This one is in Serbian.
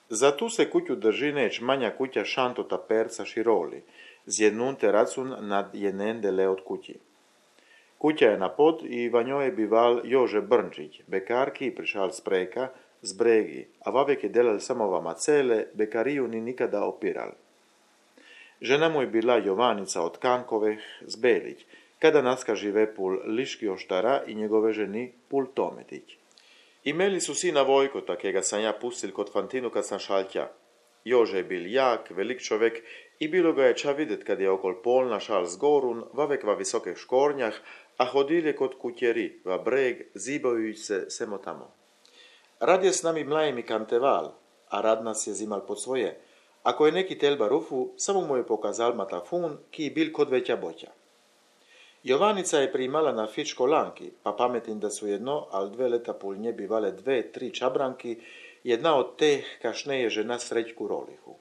Za tu se kuću drži neć manja kuća šantota perca široli, zjednunte racun nad jenen dele od kući. Kuća je na pod i va njoj je bival Jože Brnčić, bekarki prišal spreka, zbregi, a vavek je delal samo vama cele, bekariju ni nikada opiral. Žena mu je bila Jovannica od Kankoveh z Belić, kada naska žive pul Liški oštara i njegove ženi pul Tometić. Imeli su sina Vojko, takega sam ja pustil kod Fantinu kad sam šaltja. Jože je bil jak, velik čovek i bilo ga je ča videt kad je okol polna šal z gorun, vavek va visokih škornjah, a hodil je kod kutjeri, va breg, zibajuć se semo tamo. Rad je s nami mlajem i kanteval, a rad nas je zimal pod svoje. Ako je neki telba rufu, samo mu je pokazal matafun, ki bil kod veća boća. Jovannica je primala na fit školanki, pa pametim da su jedno, al 2 leta pol nje bivale 2-3 čabranki, jedna od teh kašne je žena Srećku Rolihu.